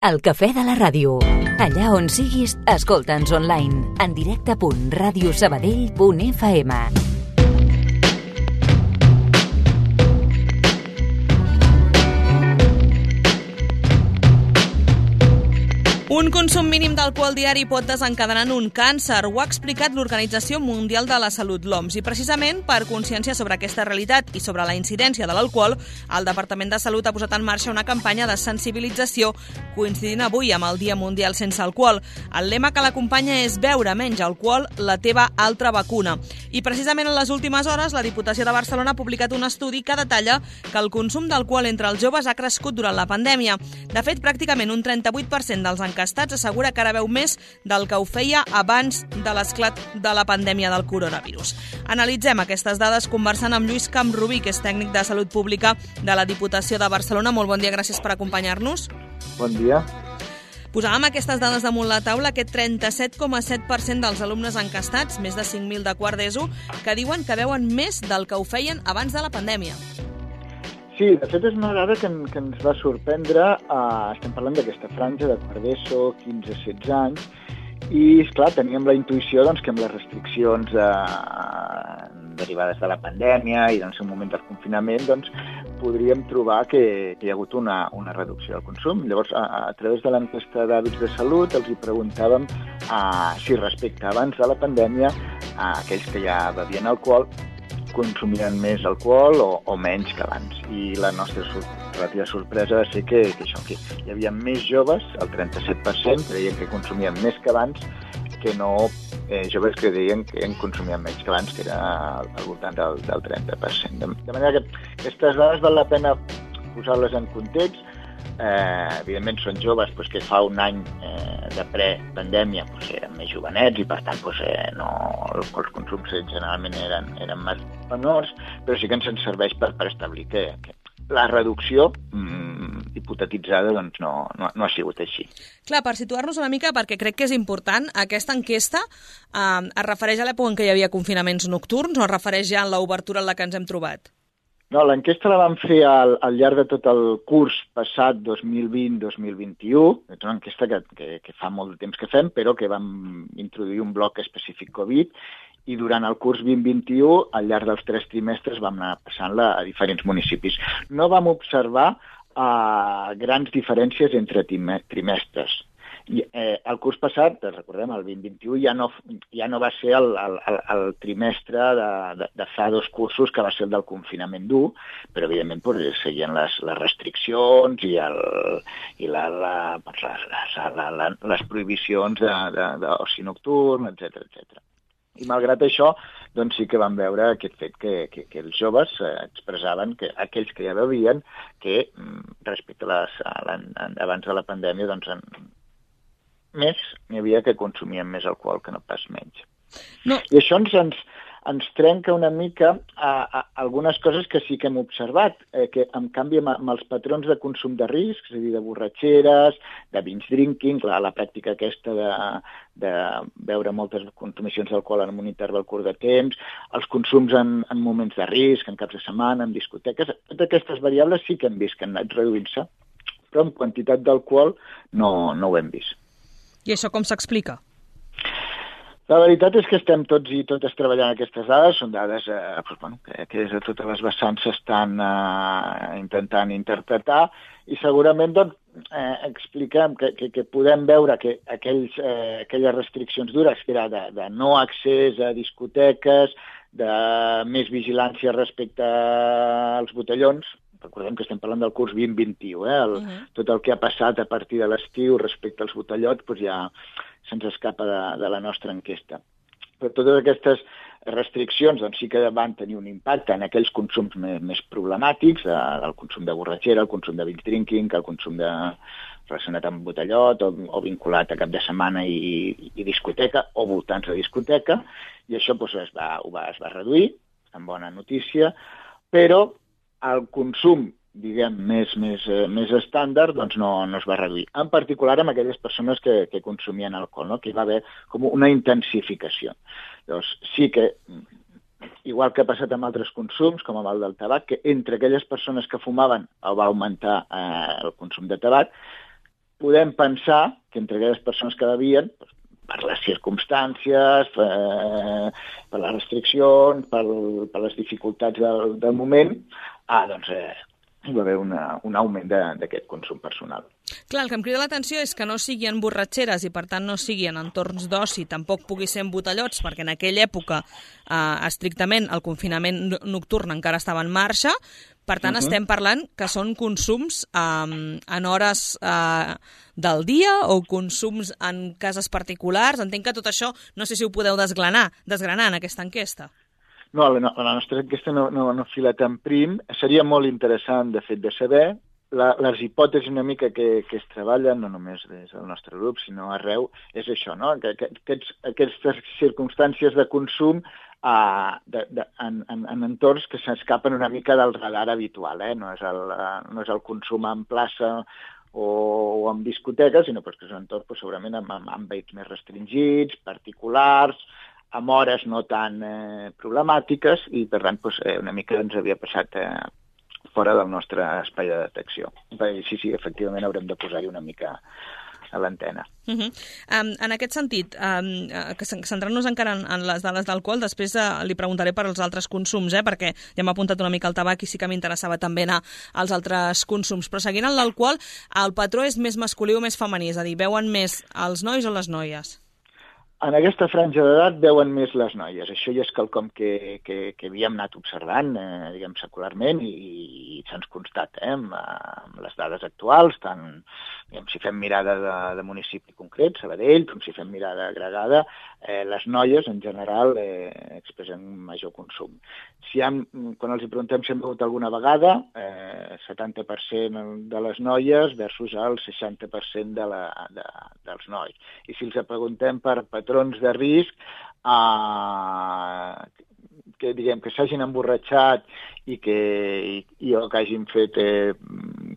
El cafè de la ràdio. Allà on siguis, escolta'ns online. En directe.radiosabadell.fm. Un consum mínim d'alcohol diari pot desencadenar un càncer. Ho ha explicat l'Organització Mundial de la Salut, l'OMS. I precisament per consciència sobre aquesta realitat i sobre la incidència de l'alcohol, el Departament de Salut ha posat en marxa una campanya de sensibilització coincidint avui amb el Dia Mundial Sense Alcohol. El lema que l'acompanya és beure menys alcohol, la teva altra vacuna. I precisament en les últimes hores, la Diputació de Barcelona ha publicat un estudi que detalla que el consum d'alcohol entre els joves ha crescut durant la pandèmia. De fet, pràcticament un 38% dels enquestats assegura que ara beu més del que ho feia abans de l'esclat de la pandèmia del coronavirus. Analitzem aquestes dades conversant amb Lluís Camprubí, que és tècnic de Salut Pública de la Diputació de Barcelona. Molt bon dia, gràcies per acompanyar-nos. Bon dia. Posàvem aquestes dades damunt la taula, aquest 37,7% dels alumnes enquestats, més de 5.000 de quart d'ESO, que diuen que beuen més del que ho feien abans de la pandèmia. Sí, de fet és una dada que ens va sorprendre. Estem parlant d'aquesta franja de quart d'ESO, 15-16 anys, i, esclar, teníem la intuïció que amb les restriccions derivades de la pandèmia i en un moment del confinament podríem trobar que hi ha hagut una reducció del consum. Llavors, a través de l'enquesta d'hàbits de salut, els hi preguntàvem si respecte abans de la pandèmia aquells que ja bevien alcohol consumien més alcohol o menys que abans. I la nostra relativa sorpresa va ser que hi havia més joves, el 37%, que deien que consumien més que abans, que no joves que deien que consumien menys que abans, que era al voltant del 30%. De manera que aquestes dades val la pena posar-les en context. Evidentment són joves que fa un any de pre-pandèmia eren més jovenets i per tant els consums generalment eren més menors, però sí que ens serveix per establir que la reducció hipotetitzada no ha sigut així. Clar, per situar-nos una mica, perquè crec que és important, aquesta enquesta es refereix a l'època en què hi havia confinaments nocturns o es refereix ja a l'obertura en la que ens hem trobat? No, l'enquesta la vam fer al llarg de tot el curs passat 2020-2021. És una enquesta que fa molt de temps que fem, però que vam introduir un bloc específic Covid i durant el curs 2021, al llarg dels 3 trimestres, vam anar passant-la a diferents municipis. No vam observar grans diferències entre trimestres. I el curs passat, recordem, el 2021, ja no va ser el trimestre de fa 2 cursos que va ser el del confinament dur, però evidentment seguien les restriccions i les prohibicions d'oci nocturn, etc. I malgrat això, sí que vam veure aquest fet que els joves expressaven que aquells que ja bevien que respecte abans de la pandèmia més n'hi havia que consumien més alcohol que no pas menys. No. I això ens trenca una mica algunes coses que sí que hem observat, que en canvi amb els patrons de consum de risc, és a dir, de borratxeres, de binge drinking, la pràctica aquesta de beure moltes consumicions d'alcohol en un interval curt de temps, els consums en moments de risc, en caps de setmana, en discoteques, totes aquestes variables sí que hem vist que han anat reduint-se, però en quantitat d'alcohol no ho hem vist. I això com s'explica? La veritat és que estem tots i totes treballant aquestes dades, són dades que des de totes les vessants s'estan intentant interpretar i segurament expliquem que podem veure que aquelles restriccions dures, que era de no accés a discoteques, de més vigilància respecte als botellons. Recordem que estem parlant del curs 2021, tot el que ha passat a partir de l'estiu respecte als botellots ja se'ns escapa de la nostra enquesta. Però totes aquestes restriccions sí que van tenir un impacte en aquells consums més problemàtics, el consum de borratxera, el consum de binge drinking, el consum relacionat amb botellot o vinculat a cap de setmana i discoteca o voltants de discoteca, i això es va reduir, amb bona notícia, però el consum, diguem, més estàndard, no es va reduir. En particular amb aquelles persones que consumien alcohol, que hi va haver com una intensificació. Llavors, sí que, igual que ha passat amb altres consums, com amb el del tabac, que entre aquelles persones que fumaven va augmentar el consum de tabac, podem pensar que entre aquelles persones que bevien, per les circumstàncies, per les restriccions, per les dificultats del moment, doncs hi va haver un augment d'aquest consum personal. Clar, el que em crida l'atenció és que no sigui en borratxeres i per tant no sigui en entorns d'oci, tampoc pugui ser en botellots, perquè en aquella època estrictament el confinament nocturn encara estava en marxa. Per tant, estem parlant que són consums en hores del dia o consums en cases particulars. Entenc que tot això, no sé si ho podeu desgranar en aquesta enquesta. No, la nostra enquesta no fila tan prim. Seria molt interessant, de fet, de saber les hipòtesis una mica que es treballen, no només des del nostre grup, sinó arreu, és això, no? Que aquestes circumstàncies de consum en entorns que s'escapen una mica del radar habitual, no és el consum en plaça o en discoteques, sinó que són entorns segurament amb àmbits més restringits, particulars, amb hores no tan problemàtiques, i per tant una mica ens havia passat fora del nostre espai de detecció. Sí, efectivament haurem de posar-hi una mica a l'antena. En aquest sentit, centrant-nos encara en les dades d'alcohol, després li preguntaré per als altres consums, perquè ja m'ha apuntat una mica el tabac i sí que m'interessava també anar als altres consums. Però seguint en l'alcohol, el patró és més masculí o més femení? És a dir, beuen més els nois o les noies? En aquesta franja d'edat veuen més les noies. Això ja és quelcom que havíem anat observant, diguem, secularment, i se'ns constata amb les dades actuals, tant si fem mirada de municipi concret, Sabadell, com si fem mirada agregada, les noies, en general, expressen major consum. Quan els preguntem si han begut alguna vegada, 70% de les noies versus el 60% dels nois. I si els preguntem per patrons de risc, que s'hagin emborratxat o que hagin fet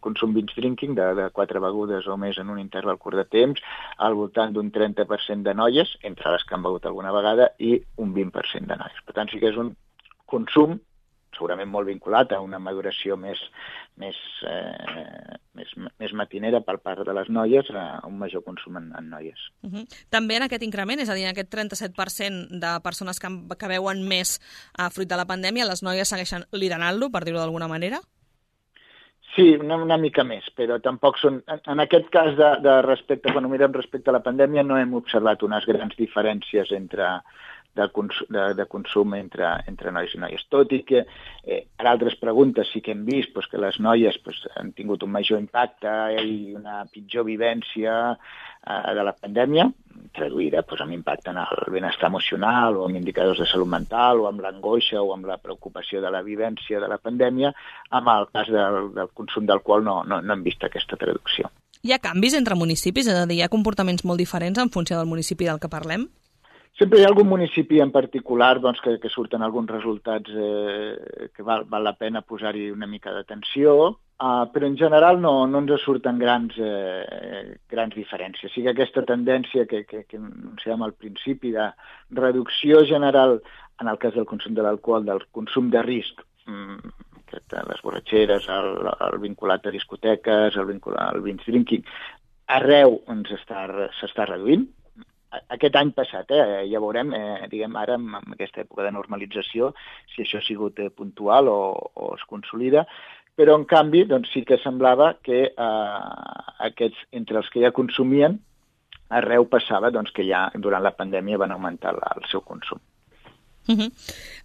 consum binge drinking de 4 begudes o més en un interval curt de temps, al voltant d'un 30% de noies, entre les que han begut alguna vegada, i un 20% de nois. Per tant, sí que és un consum segurament molt vinculat a una maduració més matinera per part de les noies, a un major consum en noies. També en aquest increment, és a dir, en aquest 37% de persones que beuen més fruit de la pandèmia, les noies segueixen liderant-lo, per dir-ho d'alguna manera? Sí, una mica més, però tampoc són... En aquest cas, quan ho mirem respecte a la pandèmia, no hem observat unes grans diferències de consum entre nois i noies. Tot i que per altres preguntes sí que hem vist que les noies han tingut un major impacte i una pitjor vivència de la pandèmia, traduïda amb impacte en el benestar emocional o amb indicadors de salut mental o amb l'angoixa o amb la preocupació de la vivència de la pandèmia. En el cas del consum d'alcohol no hem vist aquesta traducció. Hi ha canvis entre municipis? És a dir, hi ha comportaments molt diferents en funció del municipi del que parlem? Sempre hi ha algun municipi en particular que surten alguns resultats que val la pena posar-hi una mica d'atenció, però en general no ens surten grans diferències. Sí que aquesta tendència que anunciàvem al principi de reducció general en el cas del consum de l'alcohol, del consum de risc, les borratxeres, el vinculat a discoteques, el vinculat al binge drinking, arreu s'està reduint. Aquest any passat, ja veurem, diguem ara, en aquesta època de normalització, si això ha sigut puntual o es consolida, però en canvi sí que semblava que entre els que ja consumien, arreu passava que ja durant la pandèmia van augmentar el seu consum.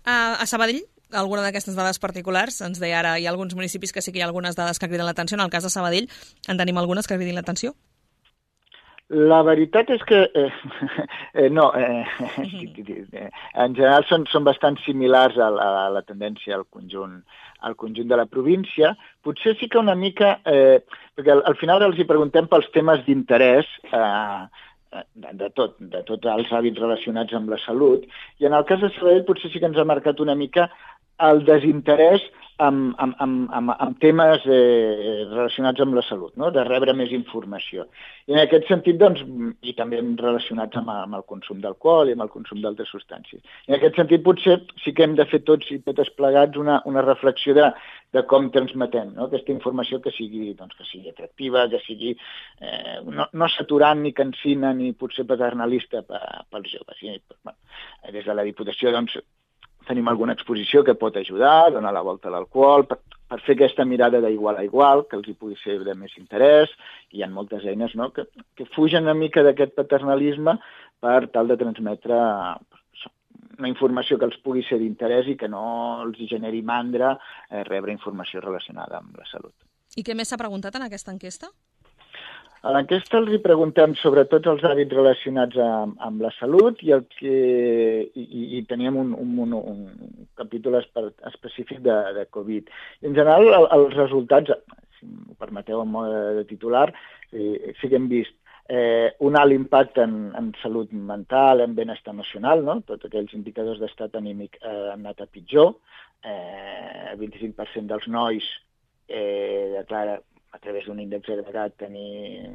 A Sabadell, alguna d'aquestes dades particulars, ens deia ara, hi ha alguns municipis que sí que hi ha algunes dades que criden l'atenció, en el cas de Sabadell en tenim algunes que cridin l'atenció? La veritat és que no, en general són bastant similars a la tendència al conjunt de la província. Potser sí que una mica, perquè al final els hi preguntem pels temes d'interès de tots els hàbits relacionats amb la salut, i en el cas de Sabadell potser sí que ens ha marcat una mica el desinterès amb temes relacionats amb la salut, no? De rebre més informació. I en aquest sentit, doncs, i també relacionats amb el consum d'alcohol i amb el consum d'altres substàncies. I en aquest sentit, potser sí que hem de fer tots i totes plegats una reflexió de com transmetem, no? Aquesta informació que sigui atractiva, que sigui no saturant ni cansina ni potser paternalista pels joves. I, bueno, des de la Diputació, doncs, tenim alguna exposició que pot ajudar, donar la volta a l'alcohol, per fer aquesta mirada d'igual a igual, que els hi pugui ser de més interès. Hi ha moltes eines, no?, que fugen una mica d'aquest paternalisme per tal de transmetre una informació que els pugui ser d'interès i que no els generi mandra rebre informació relacionada amb la salut. I què més s'ha preguntat en aquesta enquesta? A l'enquesta els hi preguntem sobre tots els hàbits relacionats amb la salut i teníem un capítol específic de Covid. En general, els resultats, si m'ho permeteu en mode de titular, sí que hem vist un alt impacte en salut mental, en benestar emocional, no? Tots aquells indicadors d'estat anímic han anat a pitjor. El 25% dels nois declara a través d'un índex agregat tenir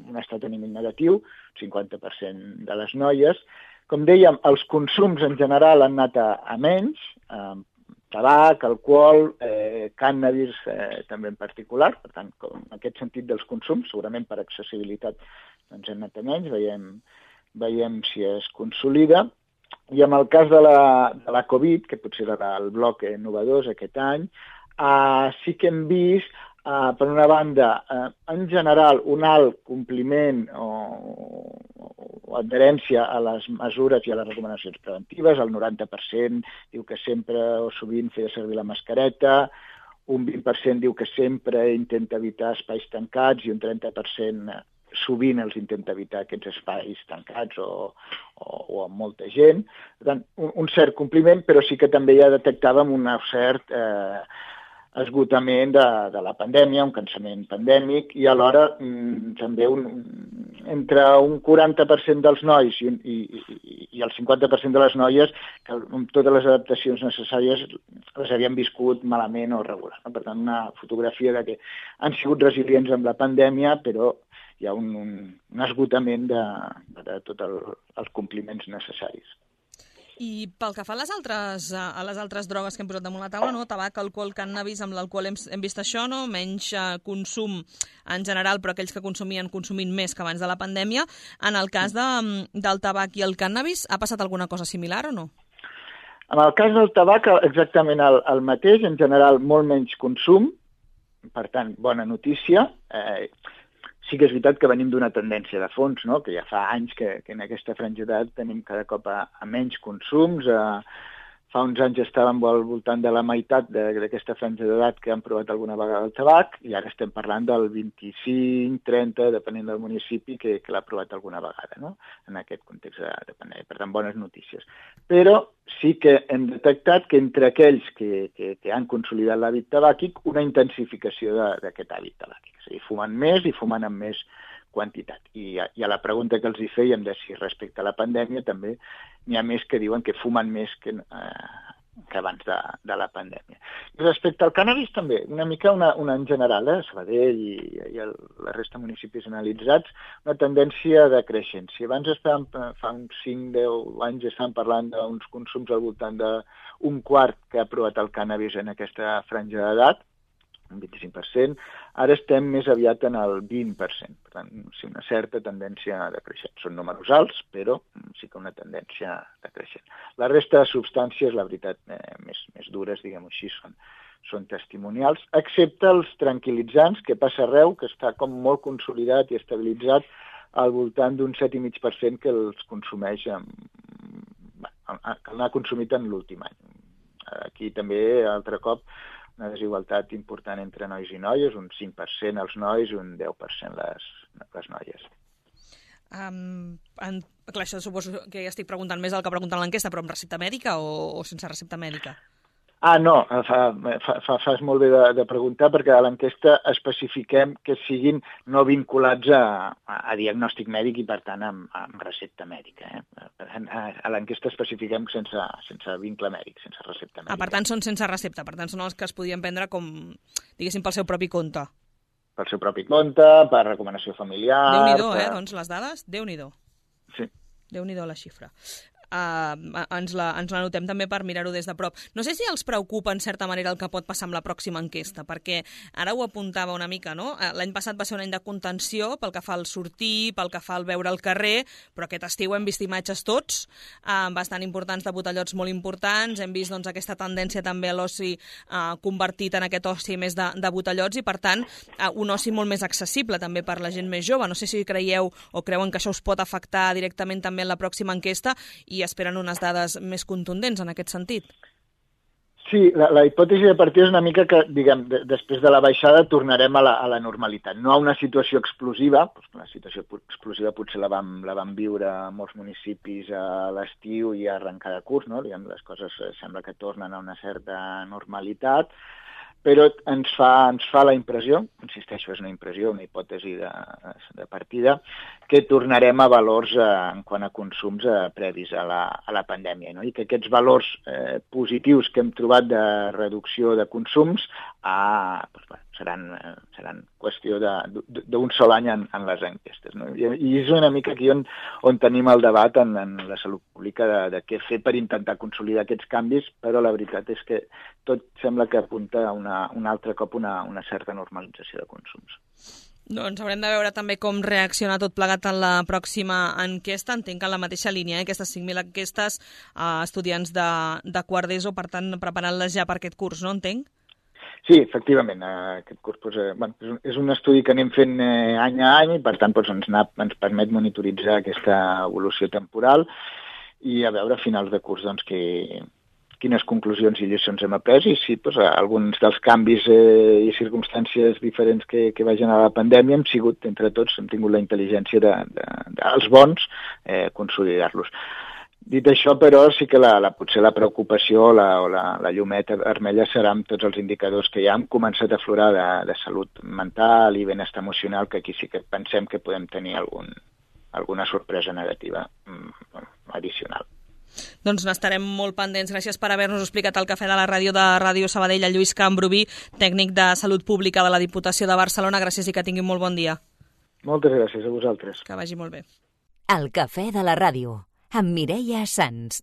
un estat anímic negatiu, 50% de les noies. Com dèiem, els consums en general han anat a menys, tabac, alcohol, cànnabis també en particular. Per tant, en aquest sentit dels consums, segurament per accessibilitat doncs han anat a menys, veiem si es consolida. I en el cas de la Covid, que potser era el bloc innovador aquest any, sí que hem vist per una banda, en general, un alt compliment o adherència a les mesures i a les recomanacions preventives. El 90% diu que sempre o sovint feia servir la mascareta, un 20% diu que sempre intenta evitar espais tancats i un 30% sovint els intenta evitar aquests espais tancats o amb molta gent. Per tant, un cert compliment, però sí que també ja detectàvem un cert esgotament de la pandèmia, un cansament pandèmic, i alhora també entre un 40% dels nois i el 50% de les noies que amb totes les adaptacions necessàries les havien viscut malament o regular. Per tant, una fotografia de que han sigut resilients amb la pandèmia, però hi ha un esgotament de tots els compliments necessaris. I pel que fa a les altres drogues que hem posat damunt la taula, no? Tabac, alcohol, cànnabis, amb l'alcohol hem vist això, no? Menys consum en general, però aquells que consumint més que abans de la pandèmia. En el cas del tabac i el cànnabis, ha passat alguna cosa similar o no? En el cas del tabac, exactament el mateix, en general molt menys consum, per tant, bona notícia. Sí que és veritat que venim d'una tendència de fons, no? Que ja fa anys que en aquesta franja d'edat tenim cada cop a menys consums. Fa uns anys estàvem al voltant de la meitat d'aquesta franja d'edat que han provat alguna vegada el tabac, i ara estem parlant del 25-30, depenent del municipi, que l'ha provat alguna vegada, no? En aquest context de pandèmia. Per tant, bones notícies. Però sí que hem detectat que entre aquells que han consolidat l'hàbit tabàquic, una intensificació d'aquest hàbit tabàquic. És a dir, fumen més i fumen amb més quantitat. I a la pregunta que els hi fèiem de si respecte a la pandèmia també n'hi ha més que diuen que fumen més que abans de la pandèmia. I respecte al cànnabis també, una mica una en general, Sabadell i la resta de municipis analitzats, una tendència decreixent. Si abans fa uns 5-10 anys estàvem parlant d'uns consums al voltant d'un quart que ha provat el cànnabis en aquesta franja d'edat, un 25%, ara estem més aviat en el 20%. Per tant, sí, una certa tendència decreixent. Són números alts, però sí que una tendència decreixent. La resta de substàncies, la veritat, més dures, diguem-ho així, són testimonials, excepte els tranquil·litzants, que passa arreu, que està com molt consolidat i estabilitzat al voltant d'un 7,5% que els consumeix, que l'ha consumit en l'últim any. Aquí també, altre cop, una desigualtat important entre nois i noies, un 5% els nois i un 10% les noies. Clar, això suposo que ja estic preguntant més del que preguntant l'enquesta, però amb recepta mèdica o sense recepta mèdica? No, fas molt bé de preguntar, perquè a l'enquesta especifiquem que siguin no vinculats a diagnòstic mèdic i, per tant, amb recepta mèdica. A l'enquesta especifiquem sense vincle mèdic, sense recepta mèdica. Per tant, són sense recepta, per tant, són els que es podien prendre com, diguéssim, pel seu propi compte. Pel seu propi compte, per recomanació familiar... Déu-n'hi-do, doncs, les dades, Déu-n'hi-do. Sí. Déu-n'hi-do la xifra. Ens la notem també per mirar-ho des de prop. No sé si els preocupa en certa manera el que pot passar amb la pròxima enquesta, perquè ara ho apuntava una mica, no? L'any passat va ser un any de contenció pel que fa al sortir, pel que fa al veure al carrer, però aquest estiu hem vist imatges tots bastant importants de botellots molt importants, hem vist doncs, aquesta tendència també a l'oci convertit en aquest oci més de botellots i per tant un oci molt més accessible també per la gent més jove. No sé si creieu o creuen que això us pot afectar directament també en la pròxima enquesta i esperen unes dades més contundents en aquest sentit. Sí, la hipòtesi de partida és una mica que, diguem, després de la baixada tornarem a la normalitat. No a una situació explosiva, la situació explosiva potser la vam viure a molts municipis a l'estiu i a arrencar de curs, no? Diguem, les coses sembla que tornen a una certa normalitat, però ens fa la impressió, insisteixo, és una impressió, una hipòtesi de partida, que tornarem a valors en quant a consums previs a la pandèmia, no? I que aquests valors positius que hem trobat de reducció de consums seran qüestió d'un sol any en les enquestes, no? I és una mica aquí on tenim el debat en la salut pública de què fer per intentar consolidar aquests canvis, però la veritat és que tot sembla que apunta a un altre cop una certa normalització de consums. Doncs haurem de veure també com reacciona tot plegat en la pròxima enquesta. Entenc que en la mateixa línia, aquestes 5.000 enquestes a estudiants de quart d'ESO, per tant, preparant-les ja per aquest curs, no entenc? Sí, efectivament, aquest curs és un estudi que anem fent any a any i per tant ens permet monitoritzar aquesta evolució temporal i a veure a finals de curs quines conclusions i lliçons hem après i si alguns dels canvis i circumstàncies diferents que va generar la pandèmia hem sigut, entre tots, hem tingut la intel·ligència dels bons consolidar-los. Dit això, però, sí que potser la preocupació o la llumeta vermella serà amb tots els indicadors que ja han començat a aflorar de salut mental i benestar emocional, que aquí sí que pensem que podem tenir alguna sorpresa negativa addicional. Doncs n'estarem molt pendents. Gràcies per haver-nos explicat el cafè de la ràdio de Ràdio Sabadell, a Lluís Cambrubí, tècnic de Salut Pública de la Diputació de Barcelona. Gràcies i que tinguin molt bon dia. Moltes gràcies a vosaltres. Que vagi molt bé. El cafè de la ràdio, amb Mireia Sans.